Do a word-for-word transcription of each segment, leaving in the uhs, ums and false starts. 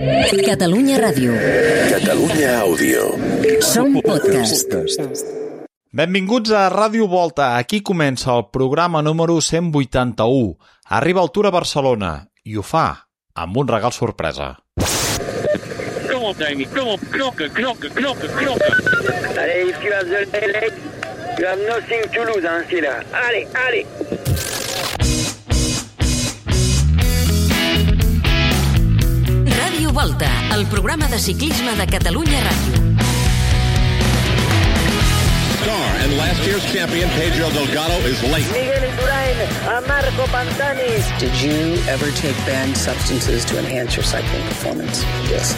Catalunya Ràdio. Catalunya Àudio. Som podcast. Benvinguts a Ràdio Volta. Aquí comença el programa número cent vuitanta-u. Arriba el Tour a Barcelona i ho fa amb un regal sorpresa. Kom op, Dani. Kom op. Knokken, knokken, knokken, knokken. Allez, Yves, tu as de l'élec. Tu as Nothing to lose, hein, c'est là. Allez, allez. Ràdio Volta, el programa de ciclisme de Catalunya Ràdio. Car and last year's champion Pedro Delgado is late. Miguel Indurain, a Marco Pantani. Did you ever take banned substances to enhance your cycling performance? Yes.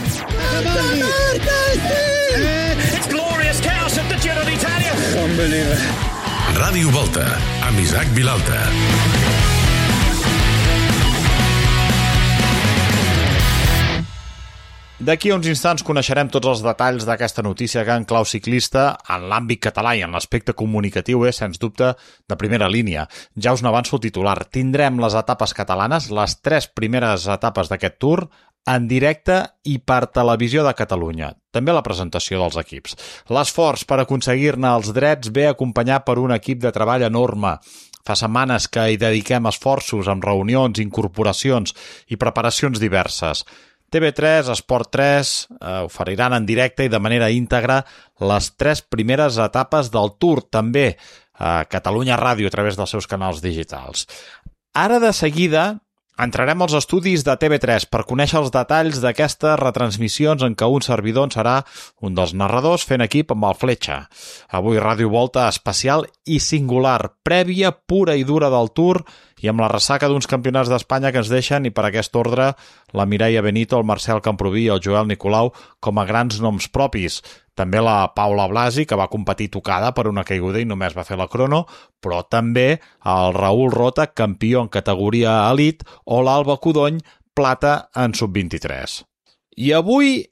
It's glorious chaos at the Giro d'Italia. Ràdio Volta, amb Isaac Vilalta. D'aquí a uns instants coneixerem tots els detalls d'aquesta notícia que en clau ciclista en l'àmbit català i en l'aspecte comunicatiu és, sens dubte, de primera línia. Ja us n'avanço el titular. Tindrem les etapes catalanes, les tres primeres etapes d'aquest Tour, en directe i per Televisió de Catalunya. També la presentació dels equips. L'esforç per aconseguir-ne els drets ve acompanyat per un equip de treball enorme. Fa setmanes que hi dediquem esforços amb reunions, incorporacions i preparacions diverses. T V tres, Esport tres eh, oferiran en directe i de manera íntegra les tres primeres etapes del Tour, també a Catalunya Ràdio a través dels seus canals digitals. Ara de seguida entrarem als estudis de T V tres per conèixer els detalls d'aquestes retransmissions en què un servidor en serà un dels narradors fent equip amb el Fletxa. Avui Ràdio Volta especial i singular, prèvia pura i dura del Tour i amb la ressaca d'uns campionats d'Espanya que ens deixen, i per aquest ordre, la Mireia Benito, el Marcel Camproví i el Joel Nicolau com a grans noms propis. També la Paula Blasi, que va competir tocada per una caiguda i només va fer la crono, però també el Raül Rota, campió en categoria elit, o l'Alba Codony, plata en sub vint-i-tres. I avui,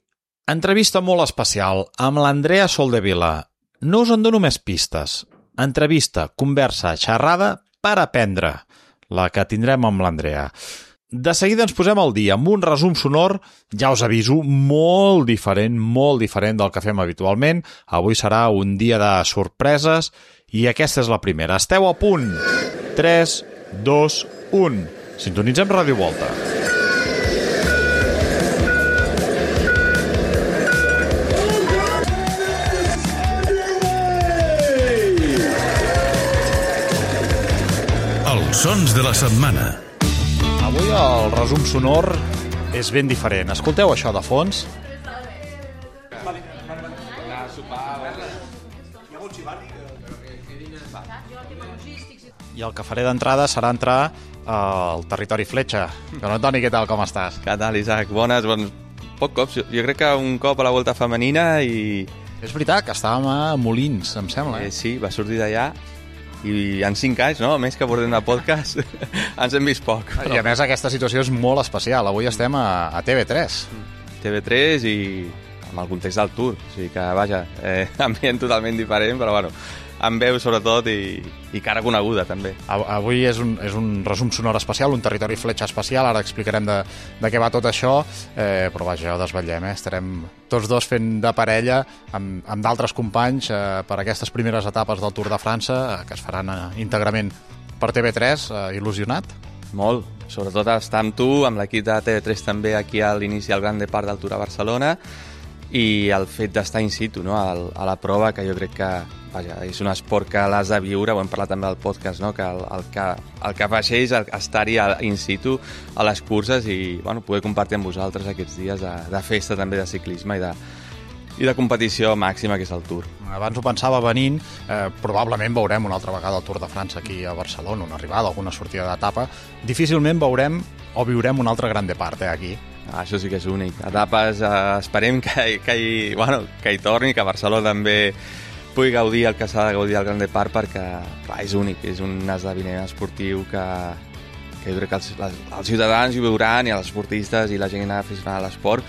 entrevista molt especial amb l'Andrea Soldevila. No us en dono més pistes. Entrevista, conversa, xerrada per aprendre, la que tindrem amb l'Andrea. De seguida ens posem al dia amb un resum sonor, ja us aviso, molt diferent, molt diferent del que fem habitualment. Avui serà un dia de sorpreses i aquesta és la primera. Esteu a punt. tres, dos, u. Sintonitzem Ràdio Volta. Els sons de la setmana. Avui el resum sonor és ben diferent. Escolteu això de fons? I el que faré d'entrada serà entrar al territori Fletxa. Don Antoni, què tal, com estàs? Què tal, Isaac? Bones, bons... Poc cops. Jo crec que un cop a la Volta Femenina i... És veritat que estàvem a Molins, em sembla. Eh, sí, va sortir d'allà. I en cinc anys, no? A més que portem de podcast, ens hem vist poc. Però... I a més aquesta situació és molt especial. Avui estem a, a T V tres. T V tres i amb el context del Tour. O sigui que, vaja, eh, ambient totalment diferent, però bueno, amb veu sobretot i, i cara coneguda també. Avui és un, és un resum sonor especial, un territori Fletxa especial. Ara explicarem de, de què va tot això, eh, però vaja, ja ho desvetllem, eh? Estarem tots dos fent de parella amb, amb d'altres companys eh, per aquestes primeres etapes del Tour de França, eh, que es faran eh, íntegrament per T V tres. Eh, il·lusionat? Molt, sobretot estar amb tu, amb l'equip de T V tres també aquí a l'inici del Gran Depart del Tour a Barcelona, i el fet d'estar in situ, no? a, a la prova, que jo crec que vaja, és un esport que l'has de viure, ho hem parlat també al podcast, no? que el, el que el que afegeix estar-hi in situ a les curses i bueno, poder compartir amb vosaltres aquests dies de, de festa també de ciclisme i de, i de competició màxima que és el Tour. Abans ho pensava venint, eh, probablement veurem una altra vegada el Tour de França aquí a Barcelona, una arribada, alguna sortida d'etapa. Difícilment veurem o viurem un altre Gran Depart eh, aquí. Ah, això sí que és únic. Etapes, eh, esperem que, que, hi, bueno, que hi torni, que Barcelona també pugui gaudir el que s'ha de gaudir del Gran Depart, perquè clar, és únic, és un esdeveniment esportiu que, que jo crec que els, les, els ciutadans hi veuran, i els esportistes i la gent aficionada a l'esport,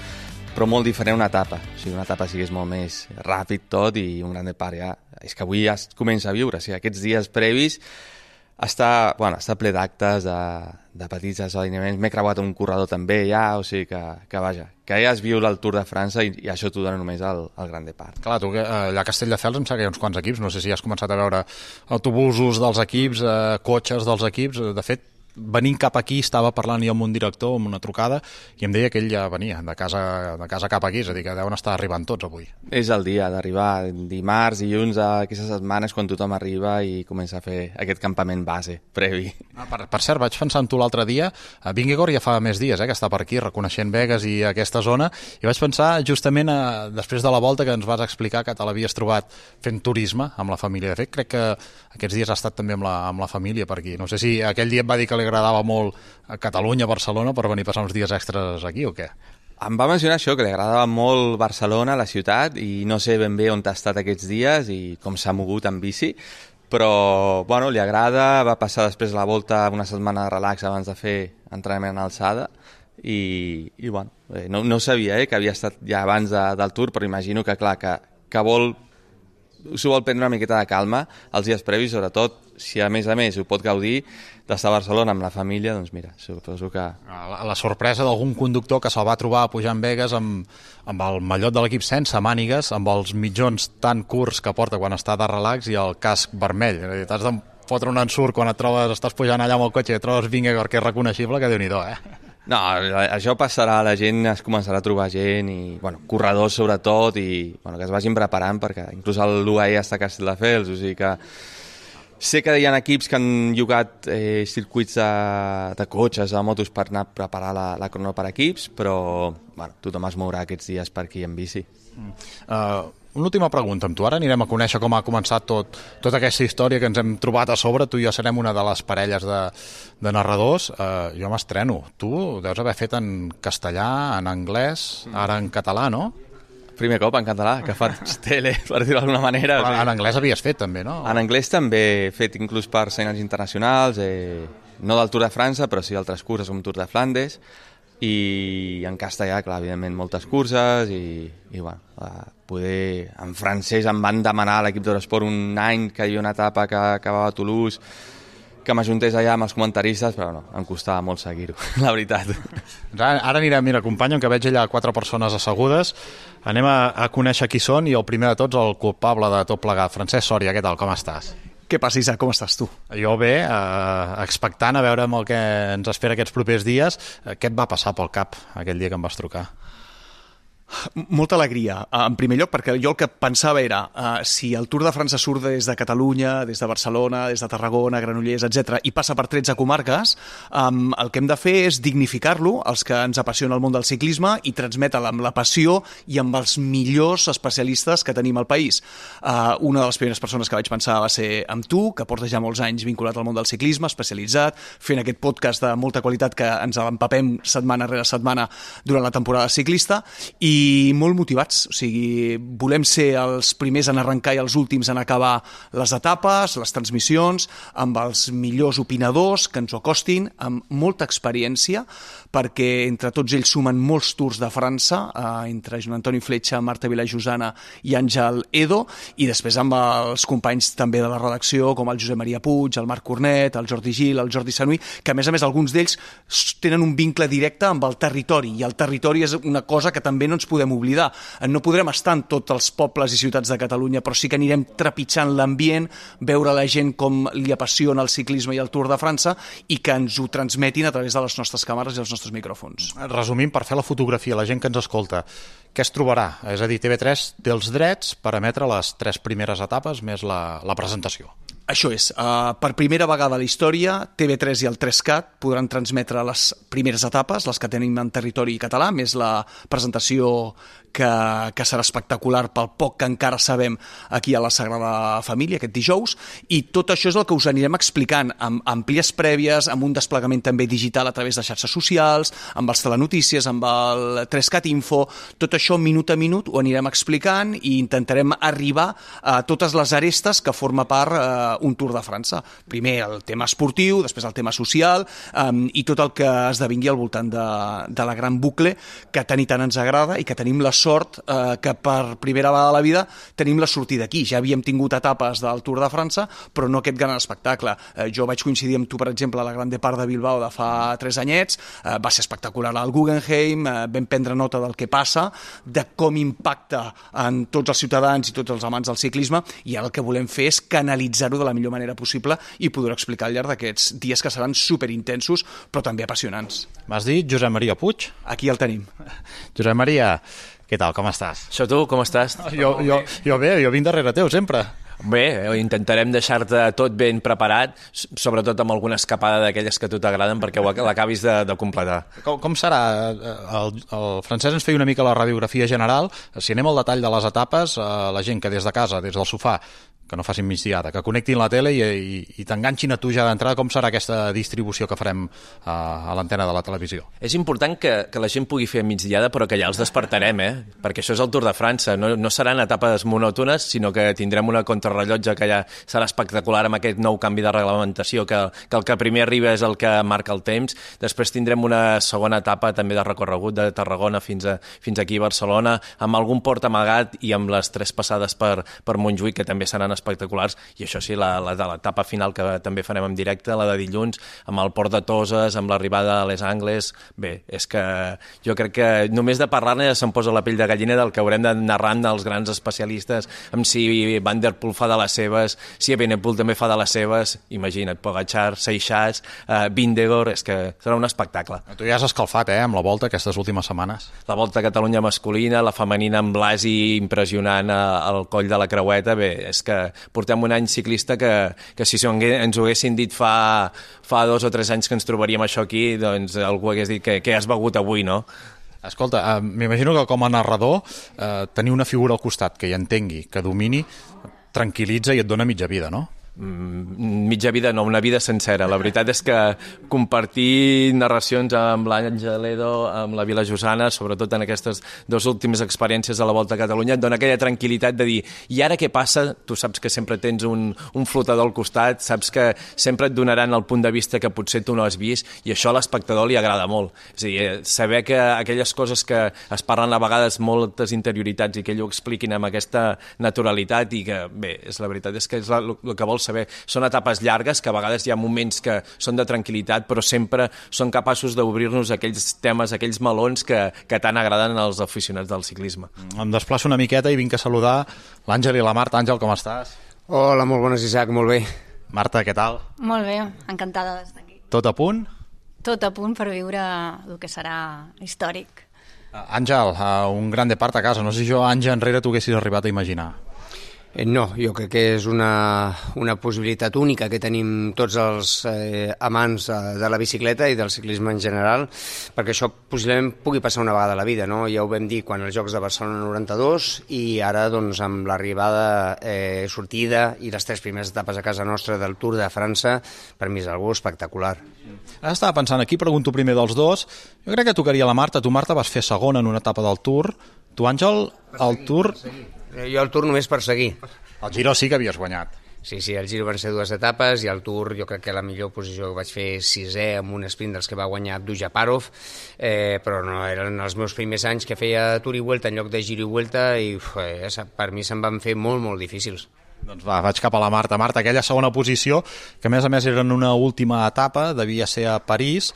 però molt diferent una etapa. O sigui, una etapa sí que és molt més ràpid tot, i un Gran Depart ja... És que avui ja es comença a viure, o sigui, aquests dies previs està, bueno, està ple d'actes, de, de petits esdeveniments. M'he creuat un corredor també ja, o sigui que, que vaja, que ja has viu el Tour de França i, i això t'ho dona només el, el Grand Depart. Clar, tu allà a Castelldefels em sembla que hi ha uns quants equips, no sé si has començat a veure autobusos dels equips, eh, cotxes dels equips, de fet, venint cap aquí estava parlant jo amb un director, amb una trucada, i em deia que ell ja venia de casa, de casa cap aquí, és a dir, que deuen estar arribant tots avui. És el dia d'arribar, dimarts, dilluns, aquestes setmanes, quan tothom arriba i comença a fer aquest campament base, previ. Ah, per, per cert, vaig pensar en tu l'altre dia, a Vingegaard ja fa més dies eh, que està per aquí, reconeixent Vegas i aquesta zona, i vaig pensar justament a, després de la volta que ens vas explicar que te l'havies trobat fent turisme amb la família. De fet, crec que aquests dies ha estat també amb la, amb la família per aquí. No sé si aquell dia et va dir que li agradava molt a Catalunya, Barcelona, per venir a passar uns dies extras aquí o què? Em va mencionar això, que li agradava molt Barcelona, la ciutat, i no sé ben bé on ha estat aquests dies i com s'ha mogut en bici, però bueno, li agrada, va passar després la volta una setmana de relax abans de fer entrenament en alçada i, i bueno, no, no sabia eh, que havia estat ja abans de, del Tour, però imagino que clar, que, que vol s'ho vol prendre una miqueta de calma els dies previs, sobretot si a més a més ho pot gaudir d'estar a Barcelona amb la família, doncs mira, suposo que... La, la sorpresa d'algun conductor que se'l va trobar pujant Vegas amb, amb el mallot de l'equip sense mànigues, amb els mitjons tan curts que porta quan està de relax i el casc vermell. T'has de fotre un ensurt quan et trobes, estàs pujant allà amb el cotxe i et trobes Vingegaard, que és reconeixible, que Déu-n'hi-do, eh? No, això passarà, la gent es començarà a trobar gent i, bueno, corredors sobretot i, bueno, que es vagin preparant perquè inclús l'U A E està a Castelldefels, o sigui que sé que hi ha equips que han llogat eh, circuits de, de cotxes, de motos per anar a preparar la, la crono per equips, però bueno, tothom es mourà aquests dies per aquí en bici. Mm. Uh, una última pregunta amb tu. Ara anirem a conèixer com ha començat tot, tota aquesta història que ens hem trobat a sobre. Tu i jo serem una de les parelles de, de narradors. Uh, jo m'estreno. Tu deus haver fet en castellà, en anglès, ara en català, no? Primer cop en català, que faig tele, per dir-ho d'alguna manera. Però en anglès havies fet també, no? En anglès també he fet inclús per senyals internacionals, eh, no del Tour de França, però sí d'altres curses com Tour de Flandes, i en castellà, clar, evidentment, moltes curses, i, i bueno, poder... En francès em van demanar a l'equip d'Eurosport un any que hi havia una etapa que acabava a Toulouse, que m'ajuntés allà amb els comentaristes, però no, em costava molt seguir-ho, la veritat. Ara, ara anirem, mira, company, que veig allà quatre persones assegudes, anem a, a conèixer qui són i el primer de tots, el culpable de tot plegat. Francesc Sòria, què tal, com estàs? Què passa, Isaac, com estàs tu? Jo bé, eh, expectant a veure el que ens espera aquests propers dies. Què et va passar pel cap aquell dia que em vas trucar? Molta alegria, en primer lloc, perquè jo el que pensava era uh, si el Tour de França surt des de Catalunya, des de Barcelona, des de Tarragona, Granollers, etcètera, i passa per tretze comarques, um, el que hem de fer és dignificar-lo, els que ens apassiona el món del ciclisme, i transmetre'l amb la passió i amb els millors especialistes que tenim al país. Uh, una de les primeres persones que vaig pensar va ser amb tu, que porta ja molts anys vinculat al món del ciclisme, especialitzat, fent aquest podcast de molta qualitat que ens l'empapem setmana rere setmana durant la temporada ciclista, i i molt motivats, o sigui, volem ser els primers en arrencar i els últims en acabar les etapes, les transmissions, amb els millors opinadors que ens ho acostin, amb molta experiència, perquè entre tots ells sumen molts Tours de França, eh, entre Joan Antoni Fletxa, Marta Vilajosana i Àngel Edo, i després amb els companys també de la redacció, com el Josep Maria Puig, el Marc Cornet, el Jordi Gil, el Jordi Sanui, que a més a més alguns d'ells tenen un vincle directe amb el territori, i el territori és una cosa que també no ens podem oblidar. No podrem estar en tots els pobles i ciutats de Catalunya, però sí que anirem trepitjant l'ambient, veure la gent com li apassiona el ciclisme i el Tour de França, i que ens ho transmetin a través de les nostres càmeres i els nostres micròfons. Resumint, per fer la fotografia, la gent que ens escolta, què es trobarà? És a dir, T V tres té els drets per emetre les tres primeres etapes més la, la presentació. Això és, uh, per primera vegada a la història, T V tres i el tres cat podran transmetre les primeres etapes, les que tenim en territori català, més la presentació que, que serà espectacular pel poc que encara sabem aquí a la Sagrada Família, aquest dijous, i tot això és el que us anirem explicant, amb àmplies prèvies, amb un desplegament també digital a través de xarxes socials, amb els telenotícies, amb el tres cat Info, tot això minut a minut ho anirem explicant i intentarem arribar a totes les arestes que forma part eh, un Tour de França. Primer el tema esportiu, després el tema social um, i tot el que esdevingui al voltant de, de la gran bucle que tant i tant ens agrada i que tenim la sort uh, que per primera vegada a la vida tenim la sortida aquí. Ja havíem tingut etapes del Tour de França, però no aquest gran espectacle. Uh, jo vaig coincidir amb tu, per exemple, a la Gran Depart de Bilbao de fa tres anyets, uh, va ser espectacular al Guggenheim, uh, vam prendre nota del que passa, de com impacta en tots els ciutadans i tots els amants del ciclisme, i ara el que volem fer és canalitzar-ho de la millor manera possible i poder explicar al llarg d'aquests dies que seran superintensos, però també apassionants. M'has dit Josep Maria Puig? Aquí el tenim. Josep Maria, què tal, com estàs? Això tu, com estàs? Jo, jo, jo bé, jo vinc darrere teu sempre. Bé, intentarem deixar-te tot ben preparat, sobretot amb alguna escapada d'aquelles que a tu t'agraden perquè l'acabis de, de completar. Com, com serà? El, el Francesc ens feia una mica la radiografia general. Si anem al detall de les etapes, la gent que des de casa, des del sofà, que no facin migdiada, que connectin la tele i, i, i t'enganxin a tu ja d'entrada, com serà aquesta distribució que farem a, a l'antena de la televisió? És important que, que la gent pugui fer migdiada, però que ja els despertarem, eh? Perquè això és el Tour de França. No, no seran etapes monòtones, sinó que tindrem una contrarrellotge que ja serà espectacular amb aquest nou canvi de reglamentació, que, que el que primer arriba és el que marca el temps. Després tindrem una segona etapa també de recorregut de Tarragona fins, a, fins aquí a Barcelona, amb algun port amagat i amb les tres passades per, per Montjuïc, que també seran espectaculars, i això sí, la, la de l'etapa final que també farem en directe, la de dilluns, amb el port de Toses, amb l'arribada a Les Angles. Bé, és que jo crec que només de parlar-ne ja se'm posa la pell de gallina del que haurem de narrant dels grans especialistes, amb si Van der Poel fa de les seves, si Evenepoel també fa de les seves, imagina't, Pogačar, Seixas, uh, Vingegaard, és que serà un espectacle. Tu ja has escalfat, eh, amb la Volta aquestes últimes setmanes. La Volta a Catalunya masculina, la femenina amb Blasi impressionant al coll de la creueta. Bé, és que portem un any ciclista que, que si ens ho haguessin dit fa, fa dos o tres anys que ens trobaríem això aquí, doncs algú hagués dit que, que has begut avui, no? Escolta, eh, m'imagino que com a narrador eh, tenir una figura al costat que hi entengui, que domini, tranquil·litza i et dona mitja vida, no? Mm, mitja vida no, una vida sencera. La veritat és que compartir narracions amb l'Àngel Edo, amb la Vila Josana, sobretot en aquestes dues últimes experiències de la Volta a Catalunya, et dona aquella tranquil·litat de dir, i ara què passa? Tu saps que sempre tens un, un flotador al costat, saps que sempre et donaran el punt de vista que potser tu no has vist, i això a l'espectador li agrada molt. És a dir, saber que aquelles coses que es parlen a vegades moltes interioritats i que ell ho expliquin amb aquesta naturalitat, i que, bé, és la veritat és que és el que vols saber. Són etapes llargues, que a vegades hi ha moments que són de tranquil·litat, però sempre són capaços d'obrir-nos aquells temes, aquells melons que, que tant agraden als aficionats del ciclisme. Em desplaço una miqueta i vinc a saludar l'Àngel i la Marta. Àngel, com estàs? Hola, molt bones, Isaac, molt bé. Marta, què tal? Molt bé, encantada d'estar aquí. Tot a punt? Tot a punt per viure el que serà històric. Àngel, un gran depart a casa. No sé si jo anys enrere t'ho haguessis arribat a imaginar. Eh, no, jo crec que és una, una possibilitat única que tenim tots els eh, amants de, de la bicicleta i del ciclisme en general, perquè això possiblement pugui passar una vegada a la vida, no? Ja ho vam dir quan els Jocs de Barcelona noranta-dos, i ara doncs, amb l'arribada, eh, sortida i les tres primeres etapes a casa nostra del Tour de França, per mi és algo espectacular. Ara estava pensant, aquí pregunto primer dels dos, jo crec que tocaria la Marta. Tu, Marta, vas fer segona en una etapa del Tour. Tu, Àngel, el Tour... Jo el Tour només per seguir. El Giro sí que havies guanyat. Sí, sí, el Giro van ser dues etapes i el Tour jo crec que la millor posició que vaig fer sisè amb un sprint dels que va guanyar Abdu Japarov, eh, però no, eren els meus primers anys que feia Tour i Vuelta en lloc de Giro i Vuelta, i uf, eh, per mi se'n van fer molt, molt difícils. Doncs va, vaig cap a la Marta. Marta, aquella segona posició, que a més a més era en una última etapa, devia ser a París,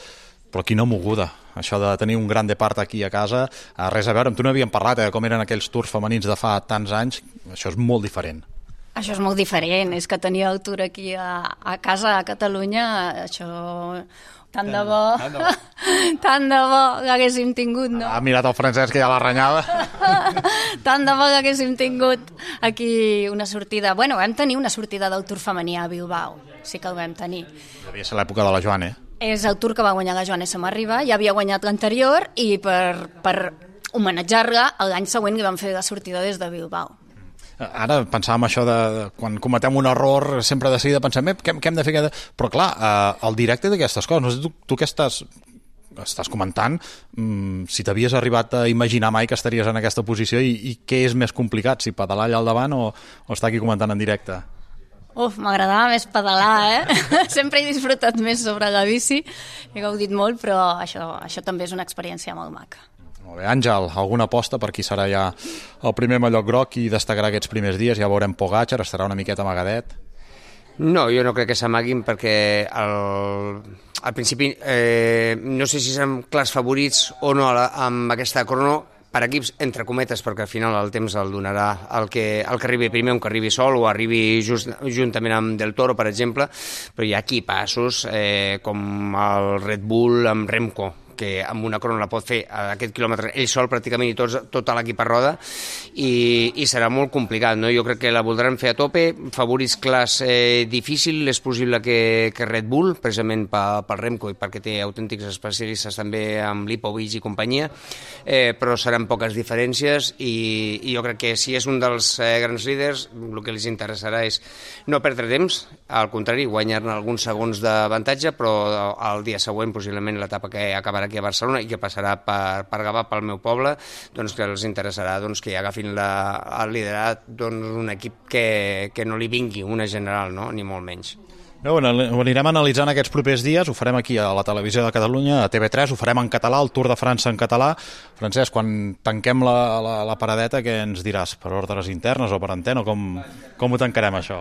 però quina moguda. Això de tenir un gran depart aquí a casa, res a veure, amb tu no havíem parlat, eh, com eren aquells tours femenins de fa tants anys, això és molt diferent. Això és molt diferent, és que tenir el Tour aquí a, a casa, a Catalunya, això... Tant de bo, tant de bo que haguéssim tingut, no? Ha mirat el Francesc, que ja la renyava. Tant de bo que haguéssim tingut aquí una sortida. Bueno, vam tenir una sortida del Tour femení a Bilbao, sí que el vam tenir. Devia ser l'època de la Joan, eh? És el Tour que va guanyar la Joan Samarriba, ja havia guanyat l'anterior, i per, per homenatjar-la, l'any següent li vam fer la sortida des de Bilbao. Ara pensàvem això de, de quan cometem un error sempre de seguida pensem eh, què, què hem de fer, què de... però clar, eh, el directe d'aquestes coses, no sé tu, tu què estàs estàs comentant, mm, si t'havies arribat a imaginar mai que estaries en aquesta posició, i, i què és més complicat, si pedalar allà al davant o, o estar aquí comentant en directe? Uf, m'agradava més pedalar, eh? Sempre he disfrutat més sobre la bici, he gaudit molt, però això, això també és una experiència molt maca. Molt bé, Àngel, alguna aposta per qui serà ja el primer mallot groc i destacarà aquests primers dies? Ja veurem Pogačar, estarà una miqueta amagadet. No, jo no crec que s'amaguin perquè al, al principi eh, no sé si som clars favorits o no amb aquesta crono, per equips, entre cometes, perquè al final el temps el donarà el que, el que arribi primer, un que arribi sol o arribi just, juntament amb Del Toro, per exemple, però hi ha equipassos eh, com el Red Bull amb Remco, que amb una crono la pot fer a aquest quilòmetre ell sol pràcticament i tots, tota l'equip a roda i, i serà molt complicat, no? Jo crec que la voldran fer a tope, favorits clars eh, difícil, és possible que, que Red Bull, precisament pel Remco i perquè té autèntics especialistes també amb Lipovic i companyia, eh, però seran poques diferències i, i jo crec que si és un dels eh, grans líders el que els interessarà és no perdre temps, al contrari, guanyar-ne alguns segons d'avantatge, però el dia següent possiblement l'etapa que acabarà aquí a Barcelona i que passarà per, per Gavà, pel meu poble, doncs que els interessarà doncs, que agafin la, el liderat doncs, un equip que, que no li vingui una general, no? Ni molt menys. No, ho anirem analitzant aquests propers dies, ho farem aquí a la Televisió de Catalunya, a T V tres, ho farem en català, el Tour de França en català. Francesc, quan tanquem la, la, la paradeta, què ens diràs? Per ordres internes o per antena? Com, com ho tancarem, això?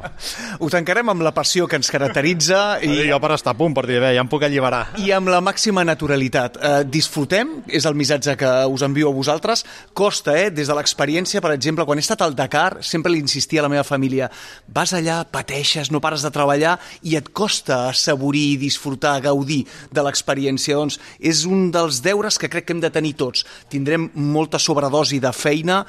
Ho tancarem amb la passió que ens caracteritza. I jo per estar a punt, per dir, bé, ja em puc alliberar. I amb la màxima naturalitat. Eh, disfrutem, és el missatge que us envio a vosaltres. Costa, eh? Des de l'experiència, per exemple, quan he estat al Dakar, sempre li insistia a la meva família, vas allà, pateixes, no pares de treballar i et costa assaborir i disfrutar, gaudir de l'experiència. Doncs és un dels deures que crec que hem de tenir tots. Tindrem molta sobredosi de feina,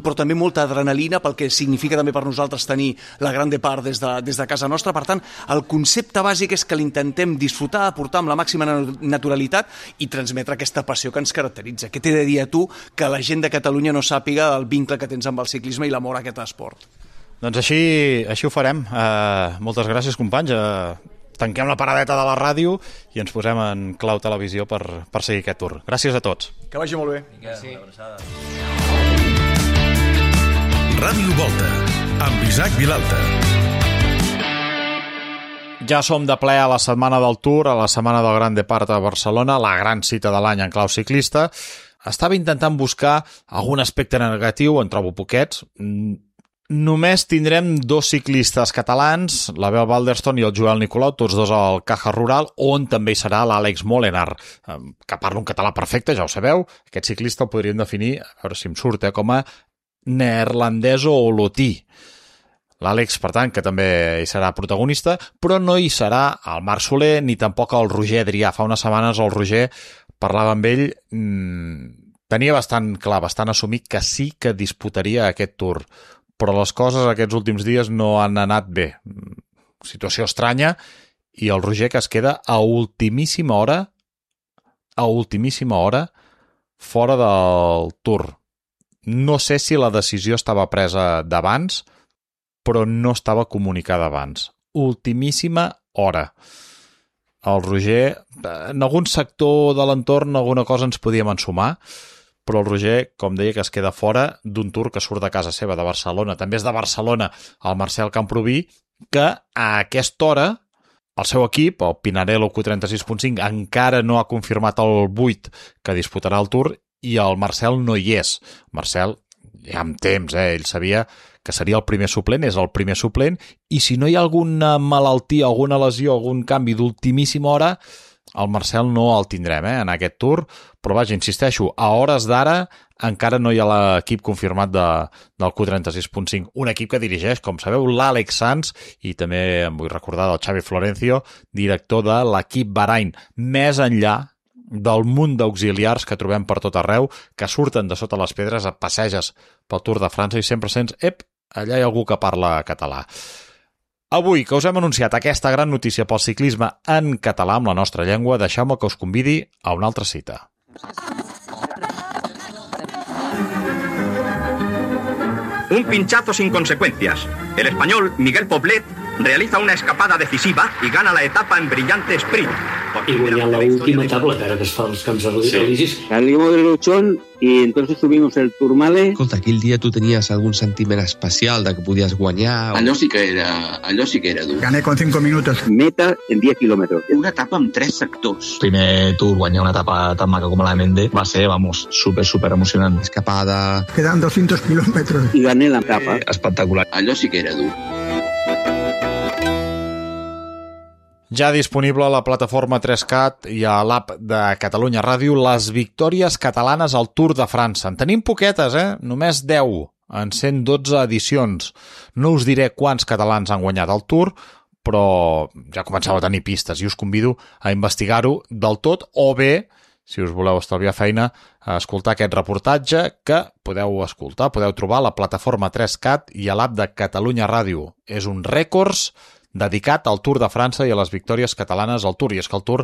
però també molta adrenalina pel que significa també per nosaltres tenir la gran part des de, des de casa nostra. Per tant, el concepte bàsic és que l'intentem disfrutar, aportar amb la màxima naturalitat i transmetre aquesta passió que ens caracteritza. Què t'he de dir a tu que la gent de Catalunya no sàpiga el vincle que tens amb el ciclisme i l'amor a aquest esport? Doncs així, així ho farem. Uh, moltes gràcies, companys. Uh, tanquem la paradeta de la ràdio i ens posem en clau televisió per, per seguir aquest tour. Gràcies a tots. Que vagi molt bé. Miquel, sí. Una abraçada. Ràdio Volta, amb Isaac Vilalta. Ja som de ple a la setmana del Tour, a la setmana del Gran Depart a Barcelona, la gran cita de l'any en clau ciclista. Estava intentant buscar algun aspecte negatiu, en trobo poquets. Només tindrem dos ciclistes catalans, l'Abel Balderston i el Joel Nicolau, tots dos al Caja Rural, on també hi serà l'Àlex Molenaar, que parla un català perfecte, ja ho sabeu. Aquest ciclista el podríem definir, a veure si em surt, eh, com a neerlandès o olotí. L'Àlex, per tant, que també hi serà protagonista, però no hi serà el Marc Soler ni tampoc el Roger Adrià. Fa unes setmanes el Roger parlava amb ell, mmm, tenia bastant clar, bastant assumit que sí que disputaria aquest Tour, però les coses aquests últims dies no han anat bé. Situació estranya, i el Roger que es queda a ultimíssima hora, a ultimíssima hora, fora del Tour. No sé si la decisió estava presa d'abans, però no estava comunicada abans. Ultimíssima hora. El Roger, en algun sector de l'entorn, alguna cosa ens podíem ensumar, però el Roger, com deia, que es queda fora d'un Tour que surt de casa seva, de Barcelona. També és de Barcelona el Marcel Camproví, que a aquesta hora el seu equip, el Pinarello Q trenta-sis punt cinc, encara no ha confirmat el vuit que disputarà el Tour i el Marcel no hi és. Marcel, ja amb temps, eh? Ell sabia que seria el primer suplent, és el primer suplent, i si no hi ha alguna malaltia, alguna lesió, algun canvi d'ultimíssima hora, el Marcel no el tindrem eh, en aquest Tour, però vaja, insisteixo, a hores d'ara encara no hi ha l'equip confirmat de, del Q trenta-sis punt cinc, un equip que dirigeix, com sabeu, l'Àlex Sanz, i també em vull recordar del Xavi Florencio, director de l'equip Bahrain, més enllà del munt d'auxiliars que trobem per tot arreu, que surten de sota les pedres, et passeges pel Tour de França i sempre sents, ep, allà hi ha algú que parla català. Avui, que us hem anunciat aquesta gran notícia pel ciclisme en català amb la nostra llengua, deixeu-me que us convidi a una altra cita. Un pinchazo sin consecuencias. El español Miguel Poblet realiza una escapada decisiva y gana la etapa en brillante sprint. y guanyar la última etapa, que ara que es fa als Camps Elisis. Salimos del Luchón y entonces subimos el Tourmalet. Escolta, aquell dia tu tenies algun sentiment especial de que podies guanyar? O... Allò sí que era, allò sí que era dur. Gané con cinco minutos. Meta en diez kilómetros. Una etapa amb tres sectors. Primer Tour, guanyar una etapa tan maca com la de Mende, va ser, vamos, súper, súper emocionant. Escapada... Quedan doscientos kilómetros. Y gané la etapa. Eh, espectacular. Allò sí que era dur. Ja disponible a la plataforma tres cat i a l'app de Catalunya Ràdio les victòries catalanes al Tour de França. En tenim poquetes, eh? Només deu en cent dotze edicions. No us diré quants catalans han guanyat el Tour, però ja començava a tenir pistes i us convido a investigar-ho del tot o bé, si us voleu estalviar feina, a escoltar aquest reportatge que podeu escoltar, podeu trobar a la plataforma tres cat i a l'app de Catalunya Ràdio. És un rècords dedicat al Tour de França i a les victòries catalanes al Tour. I és que el Tour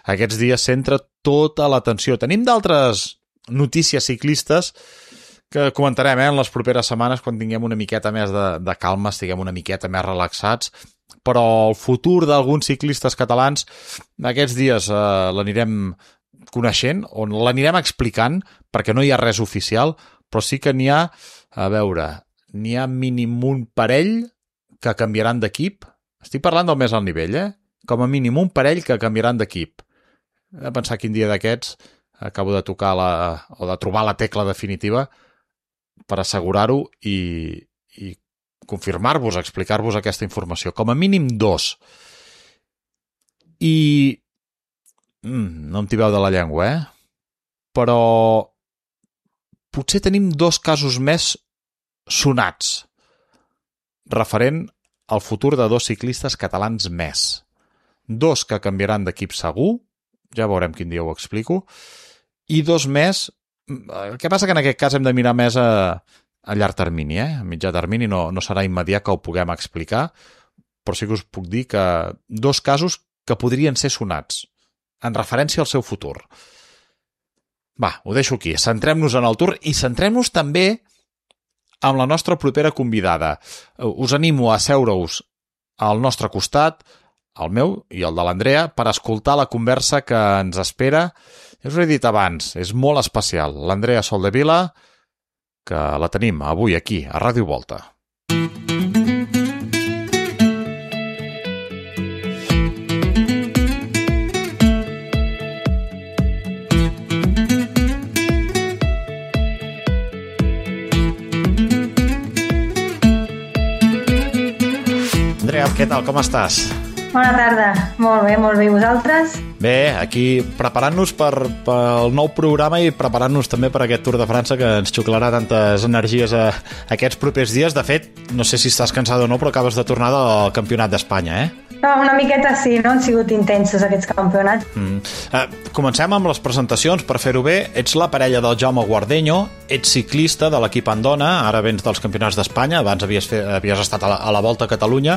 aquests dies centra tota l'atenció. Tenim d'altres notícies ciclistes que comentarem eh, en les properes setmanes quan tinguem una miqueta més de, de calma, estiguem una miqueta més relaxats, però el futur d'alguns ciclistes catalans aquests dies eh, l'anirem coneixent, on l'anirem explicant, perquè no hi ha res oficial, però sí que n'hi ha, a veure, n'hi ha mínim un parell que canviaran d'equip. Estic parlant del més alt nivell, eh? Com a mínim un parell que canviaran d'equip. He de pensar quin dia d'aquests acabo de tocar la, o de trobar la tecla definitiva per assegurar-ho i, i confirmar-vos, explicar-vos aquesta informació. Com a mínim dos. I mm, no em tibeu de la llengua, eh? Però potser tenim dos casos més sonats referent el futur de dos ciclistes catalans més. Dos que canviaran d'equip segur, ja veurem quin dia ho explico, i dos més, el que passa que en aquest cas hem de mirar més a, a llarg termini, eh? A mitjà termini no, no serà immediat que ho puguem explicar, però sí que us puc dir que dos casos que podrien ser sonats, en referència al seu futur. Va, ho deixo aquí, centrem-nos en el Tour i centrem-nos també amb la nostra propera convidada. Us animo a seure-us al nostre costat, al meu i al de l'Andrea, per escoltar la conversa que ens espera. Ja us ho he dit abans, és molt especial. L'Andrea Soldevila, que la tenim avui aquí, a Ràdio Volta. Què tal, com estàs? Bona tarda, molt bé, molt bé, i vosaltres? Bé, aquí preparant-nos per, pel nou programa i preparant-nos també per aquest Tour de França que ens xuclarà tantes energies a, a aquests propers dies. De fet, no sé si estàs cansada o no, però acabes de tornar del Campionat d'Espanya, eh? No, una miqueta sí, no? Han sigut intensos aquests campionats. Mm. Eh, comencem amb les presentacions, per fer-ho bé. Ets la parella del Jaume Guardeño, ets ciclista de l'equip Andona, ara vens dels Campionats d'Espanya, abans havies, fet, havies estat a la, a la Volta a Catalunya,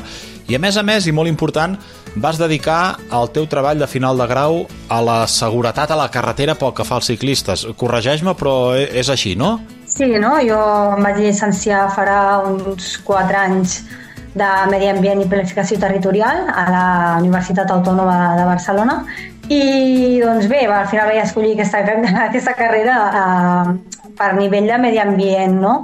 i a més a més, i molt important, vas dedicar el teu treball de final de grau a la seguretat a la carretera pel que fa als ciclistes. Corregeix-me, però és així, no? Sí, no? Jo em vaig llicenciar farà uns quatre anys de Medi Ambient i Planificació Territorial a la Universitat Autònoma de Barcelona i doncs bé, al final vaig escollir aquesta, aquesta carrera eh, per nivell de medi ambient, no?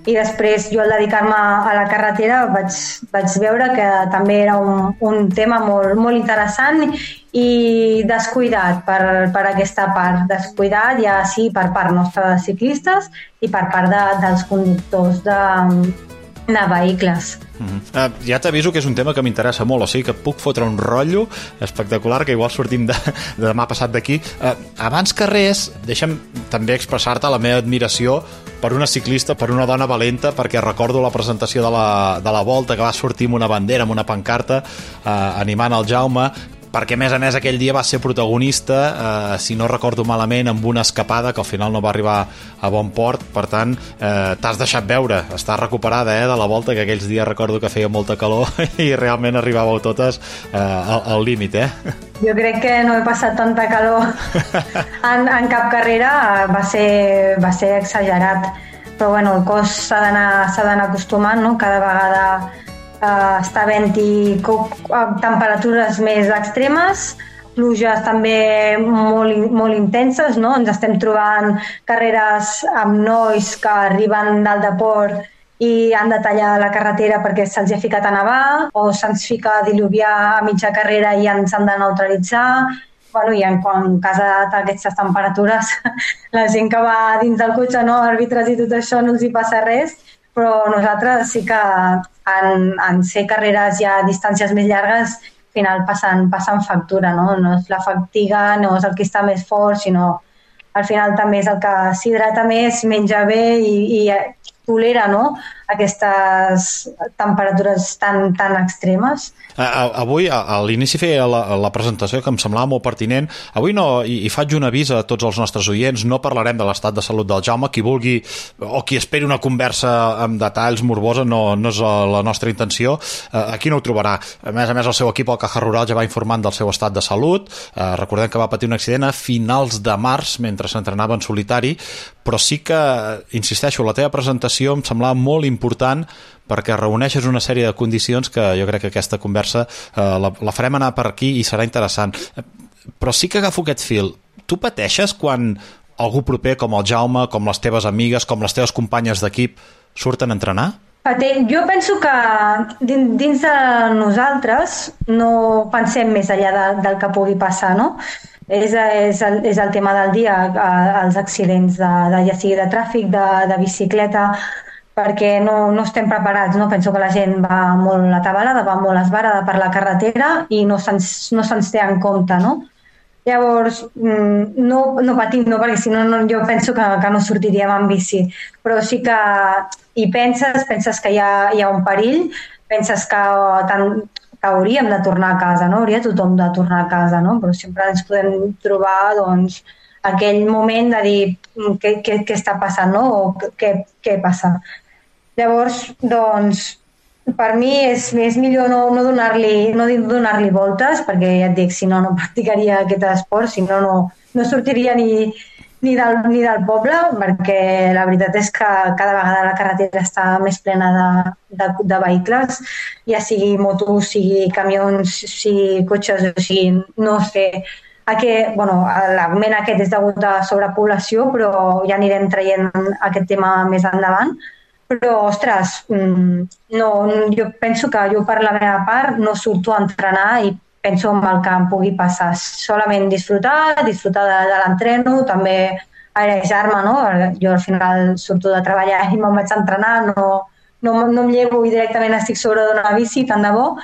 I després jo al dedicar-me a la carretera vaig, vaig veure que també era un, un tema molt, molt interessant i descuidat per, per aquesta part, descuidat ja sí per part nostra de ciclistes i per part de, dels conductors de, de vehicles. Mm-hmm. uh, ja t'aviso que és un tema que m'interessa molt, o sigui que puc fotre un rotllo espectacular que igual sortim de, de demà passat d'aquí. Uh, abans que res, deixa'm també expressar-te la meva admiració per una ciclista, per una dona valenta, perquè recordo la presentació de la, de la Volta que va sortir amb una bandera, amb una pancarta uh, animant el Jaume, perquè a més a més aquell dia va ser protagonista, eh, si no recordo malament, amb una escapada que al final no va arribar a bon port. Per tant, eh, t'has deixat veure, estàs recuperada eh, de la Volta, que aquells dies recordo que feia molta calor i realment arribàveu totes eh, al, al límit, eh? Jo crec que no he passat tanta calor en, en cap carrera, va ser, va ser exagerat, però bueno, el cos s'ha d'anar acostumant, no? Cada vegada Uh, està havent-hi temperatures més extremes, pluges també molt, molt intenses, no? Ens estem trobant carreres amb nois que arriben dalt de port i han de tallar la carretera perquè se'ls ha ficat a nevar, o se'ns fica a diluviar a mitja carrera i ens han de neutralitzar. Bueno, i en, en cas d'aquestes temperatures, la gent que va dins del cotxe, no, àrbitres i tot això, no els hi passa res, però nosaltres sí que en, en ser carreres ja a distàncies més llargues, al final passen, passen factura, no? No és la fatiga, no és el que està més fort, sinó al final també és el que s'hidrata més, menja bé i, i tolera, no?, aquestes temperatures tan, tan extremes. Avui, a l'inici feia la, la presentació que em semblava molt pertinent. Avui no, i, i faig un avís a tots els nostres oients, no parlarem de l'estat de salut del Jaume. Qui vulgui o qui esperi una conversa amb detalls morbosa no, no és la nostra intenció. Aquí no ho trobarà. A més a més, el seu equip, el Caja Rural, ja va informant del seu estat de salut. Recordem que va patir un accident a finals de març mentre s'entrenava en solitari, però sí que, insisteixo, la teva presentació em semblava molt important perquè reuneixes una sèrie de condicions que jo crec que aquesta conversa eh, la, la farem anar per aquí i serà interessant. Però sí que agafo aquest fil. Tu pateixes quan algú proper com el Jaume, com les teves amigues, com les teves companyes d'equip surten a entrenar? Jo penso que dins de nosaltres no pensem més enllà de, del que pugui passar, no? És, és, el, és el tema del dia, els accidents, de, de, ja sigui de tràfic, de, de bicicleta, perquè no, no estem preparats, no? Penso que la gent va molt atabalada, va molt esbarada per la carretera i no se'ns no se'ns té en compte, no? Llavors, no, no patim, no, perquè si no, no jo penso que, que no sortiríem en bici, però sí que hi penses, penses que hi ha, hi ha un perill, penses que, tant, que hauríem de tornar a casa, no? Hauria tothom de tornar a casa, no? Però sempre ens podem trobar, doncs, aquell moment de dir què, què, què està passant, no? O què, què passa. Llavors, doncs, per mi és, és millor no, no donar-li no donar-li voltes, perquè ja et dic, si no, no practicaria aquest esport, si no, no, no sortiria ni, ni, del, ni del poble, perquè la veritat és que cada vegada la carretera està més plena de, de, de vehicles, ja sigui motos, sigui camions, sigui cotxes, o sigui, no sé, aquest, bueno, l'augment aquest és degut a sobrepoblació, però ja anirem traient aquest tema més endavant. Però, ostres, no, jo penso que jo per la meva part no surto a entrenar i penso en el que em pugui passar. Solament disfrutar, disfrutar de, de l'entreno, també airejar-me, no? Jo al final surto de treballar i me'n vaig a entrenar, no, no, no em llevo i directament estic sobre d'una bici, tant de bo,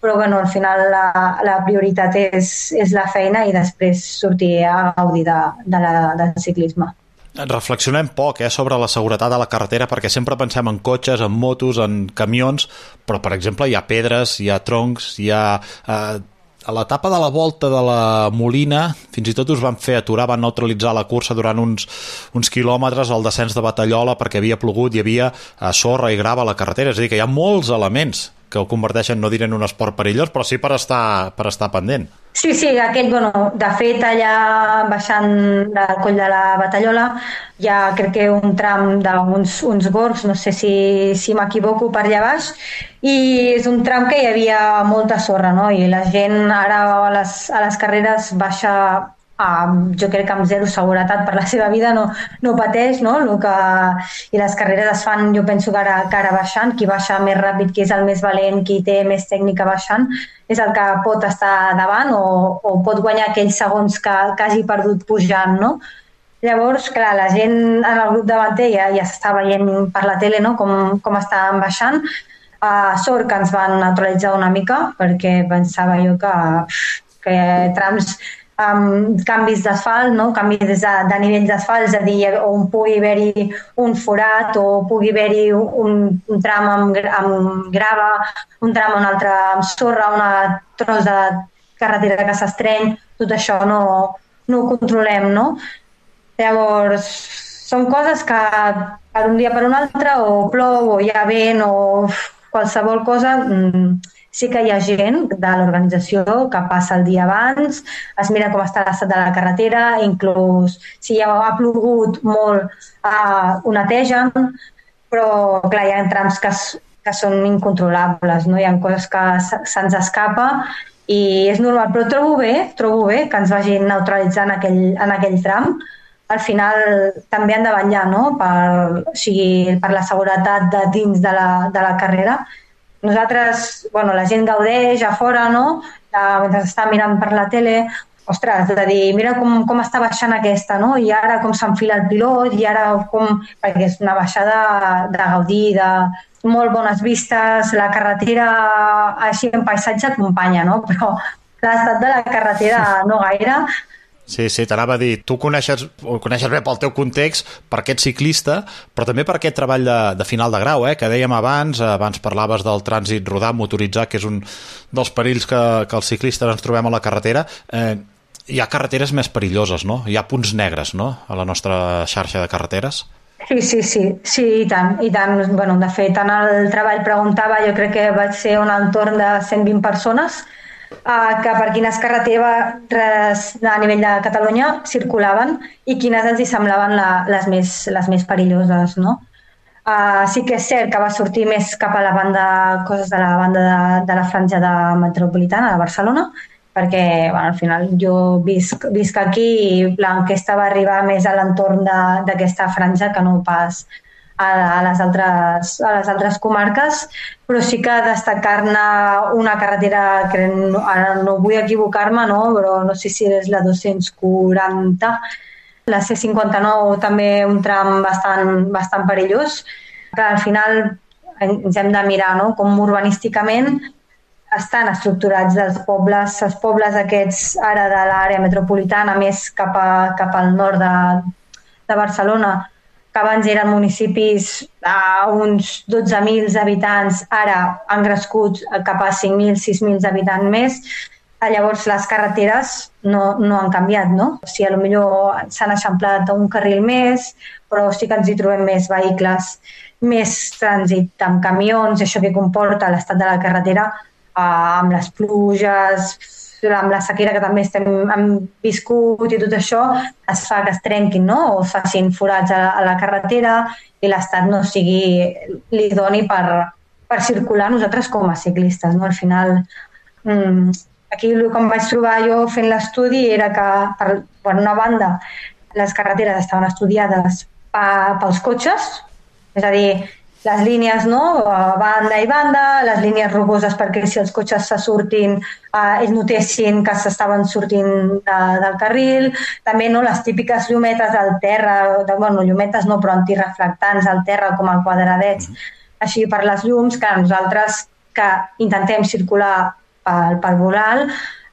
però bueno, al final la, la prioritat és, és la feina i després sortir a gaudir de, de la, del ciclisme. Reflexionem poc eh, sobre la seguretat a la carretera perquè sempre pensem en cotxes, en motos, en camions, però per exemple hi ha pedres, hi ha troncs, hi ha... Eh, a l'etapa de la volta de la Molina fins i tot us van fer aturar, van neutralitzar la cursa durant uns, uns quilòmetres al descens de Batallola perquè havia plogut, hi havia eh, sorra i grava a la carretera, és a dir que hi ha molts elements que ho converteixen, no diré en un esport perillós, però sí per estar, per estar pendent. Sí, sí, aquell, bueno, de fet allà baixant del coll de la Batallola hi ha crec que un tram d'uns uns gorgs, no sé si, si m'equivoco, per allà baix, i és un tram que hi havia molta sorra, no? I la gent ara a les, a les carreres baixa a, jo crec que amb zero seguretat per la seva vida, no, no pateix, no? Lo que, i les carreres es fan, jo penso que ara, que ara baixant, qui baixa més ràpid, qui és el més valent, qui té més tècnica baixant, és el que pot estar davant o, o pot guanyar aquells segons que, que hagi perdut pujant, no? Llavors, clar, la gent en el grup davanter ja, ja s'està veient per la tele, no? com, com estan baixant. Uh, sort que ens van neutralitzar una mica, perquè pensava jo que, que trams amb canvis d'asfalt, no? Canvis de, de nivell d'asfalt, és a dir, on pugui haver-hi un forat o pugui haver-hi un, un tram amb, amb grava, un tram un altre amb sorra, un tros de carretera que s'estreny, tot això no, no ho controlem, no? Llavors, són coses que per un dia per un altre o plou o hi ha vent o qualsevol cosa... Mmm, sí que hi ha gent de l'organització que passa el dia abans, es mira com està l'estat de la carretera, inclús si ja ha plogut molt, eh, ho netegen, però clar, hi ha trams que, que són incontrolables, no? Hi ha coses que se'ns escapa i és normal, però trobo bé, trobo bé que ens vagin neutralitzant en aquell, en aquell tram. Al final també han de vetllar, no? per, o sigui, per la seguretat de dins de la, de la carrera. Nosaltres, bueno, la gent gaudeix a fora, no? De, mentre està mirant per la tele, ostres, de dir, mira com, com està baixant aquesta, no? I ara com s'enfila el pilot, i ara com... perquè és una baixada de gaudir, de molt bones vistes, la carretera així en paisatge acompanya, no? Però l'estat de la carretera no gaire. Sí, sí, t'anava a dir, tu coneixes, ho coneixes bé pel teu context, per aquest ciclista, però també per aquest treball de, de final de grau, eh, que dèiem abans, abans parlaves del trànsit rodat motoritzat, que és un dels perills que, que els ciclistes ens trobem a la carretera. Eh, hi ha carreteres més perilloses, no? Hi ha punts negres, no?, a la nostra xarxa de carreteres. Sí, sí, sí, sí, i tant, i tant. Bueno, de fet, en el treball preguntava, jo crec que va ser un entorn de cent vint persones, Uh, que per quines carreteres a nivell de Catalunya circulaven i quines els hi semblaven la, les, més, les més perilloses, no? Uh, sí que és cert que va sortir més cap a la banda, coses de la banda de, de la franja de metropolitana de Barcelona, perquè bueno, al final jo visc, visc aquí i l'enquesta va arribar més a l'entorn d'aquesta franja que no pas a, a, les altres, a les altres comarques, però sí que destacar-ne una carretera que no, ara no vull equivocar-me, no? Però no sé si és la dos-cents quaranta, la C cinquanta-nou també un tram bastant, bastant perillós, que al final ens hem de mirar, no? Com urbanísticament estan estructurats els pobles, els pobles aquests ara de l'àrea metropolitana més cap, a, cap al nord de, de Barcelona, que abans eren municipis a uns dotze mil habitants, ara han crescut cap a cinc mil, sis mil habitants més. Llavors les carreteres no, no han canviat, no? O sigui, potser s'han eixamplat un carril més, però sí que ens hi trobem més vehicles, més trànsit amb camions, això que comporta l'estat de la carretera, amb les pluges, amb la sequera que també estem, hem viscut i tot això, es fa que es trenquin, no? O facin forats a, a la carretera i l'estat no sigui l'idoni per, per circular nosaltres com a ciclistes, no? Al final, mmm, aquí el que em vaig trobar jo fent l'estudi era que, per, per una banda, les carreteres estaven estudiades pa, pels cotxes, és a dir, les línies, no? Banda i banda, les línies rugoses perquè si els cotxes se surtin, eh, ells notessin que s'estaven sortint de, del carril, també no, les típiques llumetes al terra, de, bueno, llumetes no, però antireflectants al terra com a quadradets, així per les llums, que nosaltres que intentem circular pel, pel voral,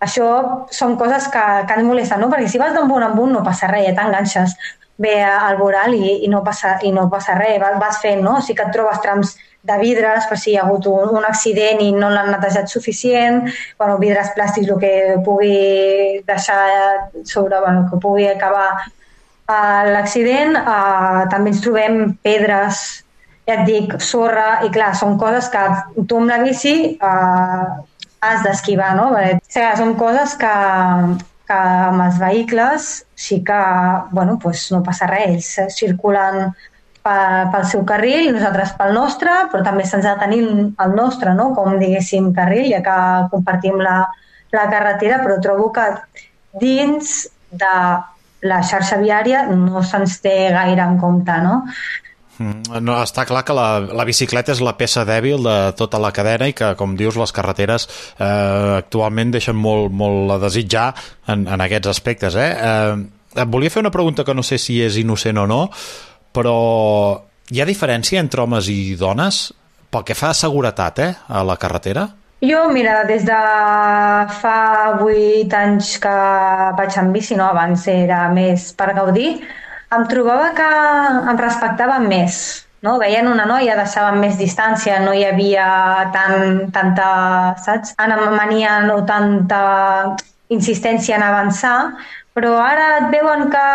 això són coses que, que ens molesten, no? Perquè si vas d'un punt en punt no passa res, ja t'enganxes bé al voral i, i, no passa, i no passa res, vas fent, no? Sí que et trobes trams de vidres per si hi ha hagut un, un accident i no l'han netejat suficient, bueno, vidres plàstics, el que pugui deixar sobre, bueno, que pugui acabar uh, l'accident, uh, també ens trobem pedres, ja et dic, sorra, i clar, són coses que tu amb la bici uh, has d'esquivar, no? O sigui, són coses que, que amb els vehicles sí que, bueno, pues no passa res, ells circulen pel seu carril, nosaltres pel nostre, però també se'ns ha de tenir el nostre, no? Com diguéssim carril, ja que compartim la, la carretera, però trobo que dins de la xarxa viària no se'ns té gaire en compte, no? No, està clar que la, la bicicleta és la peça dèbil de tota la cadena i que, com dius, les carreteres eh, actualment deixen molt, molt a desitjar en, en aquests aspectes. Eh? Eh, et volia fer una pregunta que no sé si és innocent o no, però hi ha diferència entre homes i dones pel que fa a seguretat, eh, a la carretera? Jo, mira, des de fa vuit anys que vaig en bici, no? Abans era més per gaudir, em trobava que em respectaven més, no? Veien una noia, deixaven més distància, no hi havia tant, tanta, saps, anomania o tanta insistència en avançar, però ara et veuen que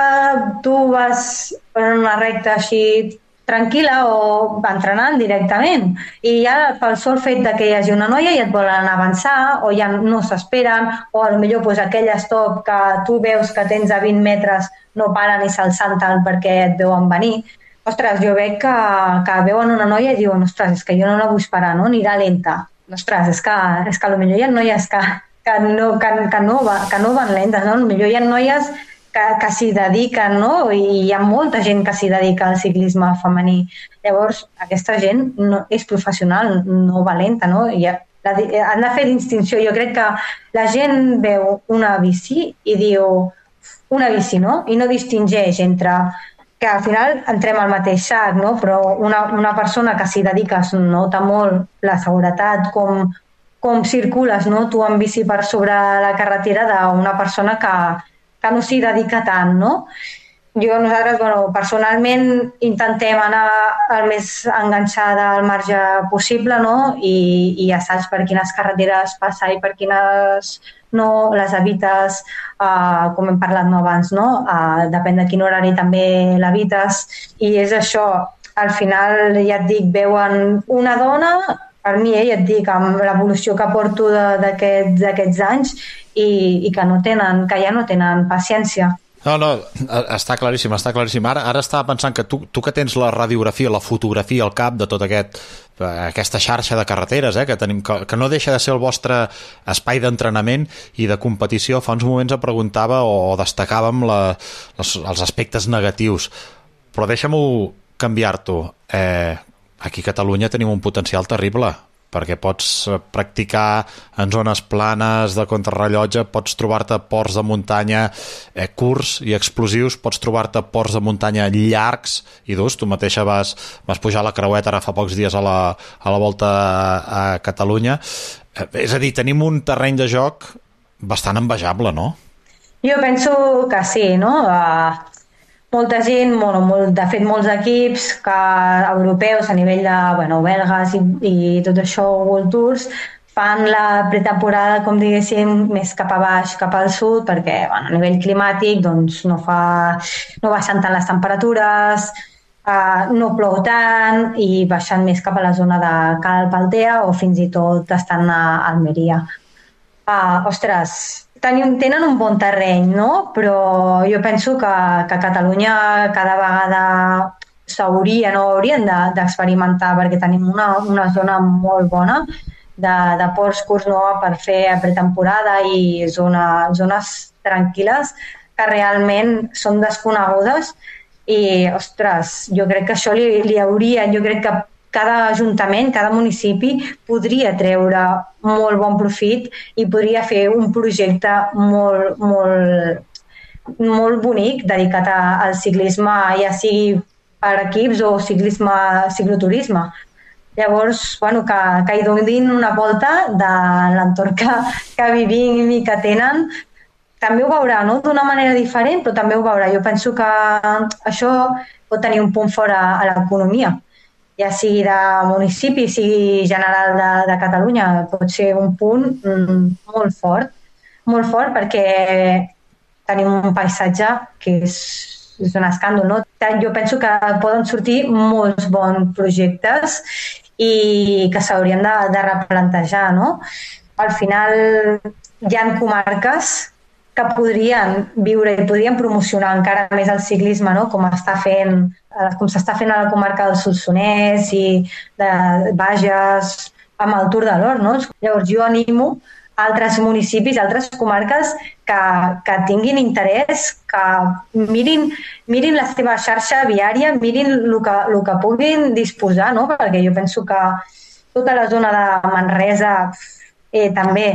tu vas per una recta així tranquil·la o entrenant directament i ja pel sol fet de que hi hagi una noia ja et volen avançar o ja no s'esperen o potser pues, aquell stop que tu veus que tens a vint metres no paren i se'l salten perquè et veuen venir. Ostres, jo veig que, que veuen una noia i diuen, ostres, és que jo no la vull esperar, no? Anirà lenta. Ostres, és que, és que potser hi ha noies que, que no, que, que no, va, que no van lentes, no? Potser hi ha noies que, que s'hi dediquen, no? I hi ha molta gent que s'hi dedica al ciclisme femení. Llavors, aquesta gent no, és professional, no va lenta, no? I ha, la, han de fer distinció. Jo crec que la gent veu una bici i diu una bici, no? I no distingeix entre que al final entrem al mateix sac, no? Però una, una persona que s'hi dedica es nota molt la seguretat, com, com circules, no? Tu en bici per sobre la carretera d'una persona que, que no s'hi dedica tant, no? Jo, nosaltres, bueno, personalment intentem anar el més enganxada al marge possible, no? I, i ja saps per quines carreteres passar i per quines no, les evites, uh, com hem parlat no, abans, no? Uh, depèn de quin horari també l'evites, i és això, al final, ja et dic, veuen una dona, per mi, eh, ja et dic, amb l'evolució que porto d'aquests d'aquests anys, i, i que, no tenen, que ja no tenen paciència. No, no, està claríssim, està claríssim. Ara, ara estava pensant que tu, tu que tens la radiografia, la fotografia al cap de tota aquest, aquesta xarxa de carreteres, eh, que, tenim, que, que no deixa de ser el vostre espai d'entrenament i de competició, fa uns moments em preguntava o destacàvem la, les, els aspectes negatius. Però deixa'm-ho canviar-t'ho. Eh, aquí a Catalunya tenim un potencial terrible, perquè pots practicar en zones planes de contrarrellotge, pots trobar-te ports de muntanya eh, curts i explosius, pots trobar-te ports de muntanya llargs i durs. Tu mateixa vas, vas pujar a la Creueta ara fa pocs dies a la, a la volta a, a Catalunya. Eh, és a dir, tenim un terreny de joc bastant envejable, no? Jo penso que sí, no? Uh... Molta gent, bueno, molt, de fet molts equips que, europeus a nivell de bueno, belgues i, i tot això, World Tours, fan la pretemporada, com diguéssim, més cap a baix, cap al sud, perquè bueno, a nivell climàtic doncs, no, fa, no baixen tant les temperatures, uh, no plou tant i baixen més cap a la zona de Cal Paltea o fins i tot estan a Almeria. Uh, ostres, Tenim, tenen un bon terreny, no? Però jo penso que, que a Catalunya cada vegada s'hauria, no haurien d'experimentar, de, perquè tenim una, una zona molt bona de, de ports curts, no? Per fer pretemporada i zona, zones tranquil·les que realment són desconegudes i, ostres, jo crec que això li, li hauria, jo crec que cada ajuntament, cada municipi podria treure molt bon profit i podria fer un projecte molt, molt, molt bonic dedicat a, al ciclisme, ja sigui per equips o ciclisme, cicloturisme. Llavors, bueno, que, que hi donin una volta de l'entorn que, que vivim i que tenen, també ho veurà, no? D'una manera diferent, però també ho veurà. Jo penso que això pot tenir un punt fora a l'economia, ja sigui de municipi, sigui general de, de Catalunya, pot ser un punt mm, molt fort, molt fort perquè tenim un paisatge que és, és un escàndol, no? Jo penso que poden sortir molts bons projectes i que s'haurien de, de replantejar, no? Al final hi ha comarques que podrien viure i podrien promocionar encara més el ciclisme, no? Com està fent, com s'està fent a la comarca del Solsonès i de Bages amb el Tour de l'Or, no? Llavors jo animo altres municipis, altres comarques que, que tinguin interès, que mirin, mirin la seva xarxa viària, mirin el que, el que puguin disposar, no? Perquè jo penso que tota la zona de Manresa eh, també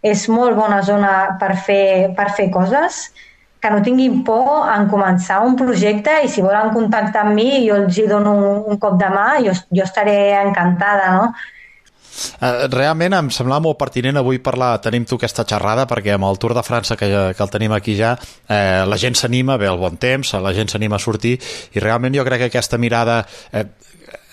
és molt bona zona per fer, per fer coses, que no tinguin por en començar un projecte i si volen contactar amb mi jo els hi dono un, un cop de mà, jo, jo estaré encantada, no? Realment em semblava molt pertinent avui parlar, tenim tu aquesta xerrada, perquè amb el Tour de França que, que el tenim aquí ja, eh, la gent s'anima, ve el bon temps, la gent s'anima a sortir i realment jo crec que aquesta mirada eh,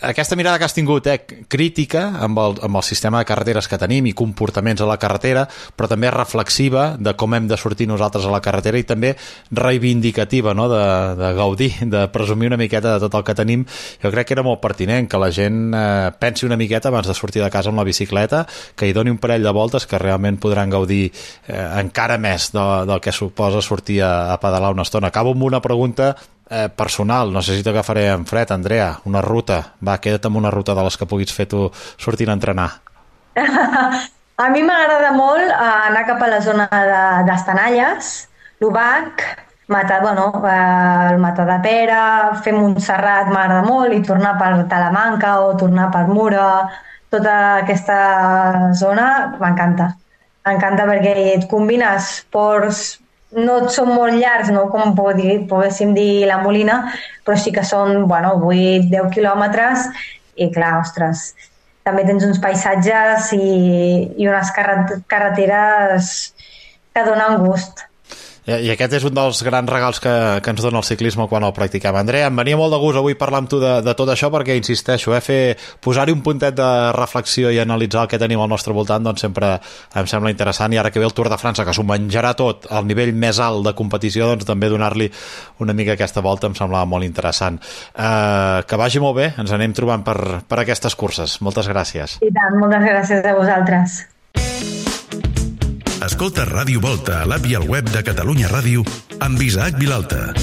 aquesta mirada que has tingut eh, crítica amb el, amb el sistema de carreteres que tenim i comportaments a la carretera, però també reflexiva de com hem de sortir nosaltres a la carretera i també reivindicativa, no? de, de gaudir, de presumir una miqueta de tot el que tenim. Jo crec que era molt pertinent que la gent eh, pensi una miqueta abans de sortir de casa amb la bicicleta, que hi doni un parell de voltes que realment podran gaudir eh, encara més de, del que suposa sortir a, a pedalar una estona. Acabo amb una pregunta Eh, personal, no sé si t'agafaré en fred, Andrea, una ruta, va, queda't amb una ruta de les que puguis fer tu sortint a entrenar. A mi m'agrada molt anar cap a la zona d'Estanalles, l'Ubac, Mata, bueno, el Matadepera, fer Montserrat m'agrada molt i tornar per Talamanca o tornar per Mura, tota aquesta zona m'encanta. M'encanta perquè et combines ports, no són molt llargs, no com poguéssim dir la Molina, però sí que són bueno, vuit a deu quilòmetres i clar, ostres, també tens uns paisatges i, i unes carreteres que donen gust. I aquest és un dels grans regals que, que ens dona el ciclisme quan el practiquem. Andrea, em venia molt de gust avui parlar amb tu de, de tot això perquè, insisteixo, eh, fer, posar-hi un puntet de reflexió i analitzar el que tenim al nostre voltant doncs sempre em sembla interessant, i ara que ve el Tour de França, que s'ho menjarà tot al nivell més alt de competició, doncs també donar-li una mica aquesta volta em semblava molt interessant. Eh, que vagi molt bé, ens anem trobant per, per aquestes curses. Moltes gràcies. I tant, moltes gràcies a vosaltres. Escolta Ràdio Volta a l'app i al web de Catalunya Ràdio amb Isaac Vilalta.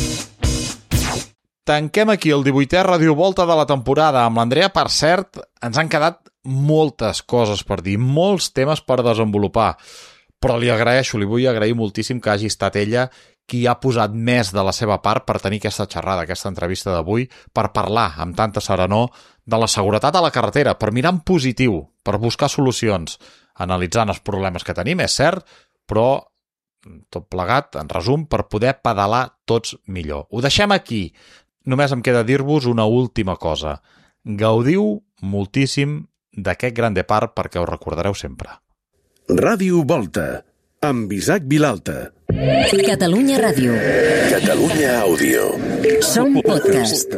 Tanquem aquí el divuitè Ràdio Volta de la temporada. Amb l'Andrea, per cert, ens han quedat moltes coses per dir, molts temes per desenvolupar, però li agraeixo, li vull agrair moltíssim que hagi estat ella qui ha posat més de la seva part per tenir aquesta xerrada, aquesta entrevista d'avui, per parlar amb tanta serenor de la seguretat a la carretera, per mirar en positiu, per buscar solucions, analitzant els problemes que tenim, és cert, però tot plegat, en resum, per poder pedalar tots millor. Ho deixem aquí. Només em queda dir-vos una última cosa. Gaudiu moltíssim d'aquest Gran Depart perquè ho recordareu sempre. Ràdio Volta, amb Isaac Vilalta. Catalunya Ràdio. Catalunya Àudio. Som podcast.